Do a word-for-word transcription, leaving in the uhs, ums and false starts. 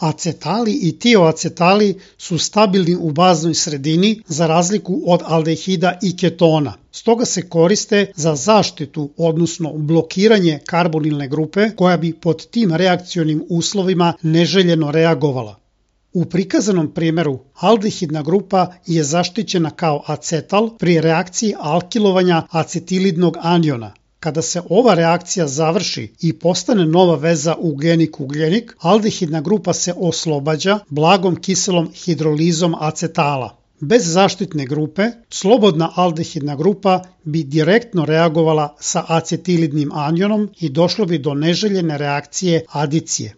Acetali i tioacetali su stabilni u baznoj sredini za razliku od aldehida i ketona. Stoga se koriste za zaštitu, odnosno blokiranje karbonilne grupe koja bi pod tim reakcionim uslovima neželjeno reagovala. U prikazanom primjeru aldehidna grupa je zaštićena kao acetal pri reakciji alkilovanja acetilidnog aniona. Kada se ova reakcija završi i postane nova veza ugljenik-ugljenik, aldehidna grupa se oslobađa blagom kiselom hidrolizom acetala. Bez zaštitne grupe, slobodna aldehidna grupa bi direktno reagovala sa acetilidnim anionom i došlo bi do neželjene reakcije adicije.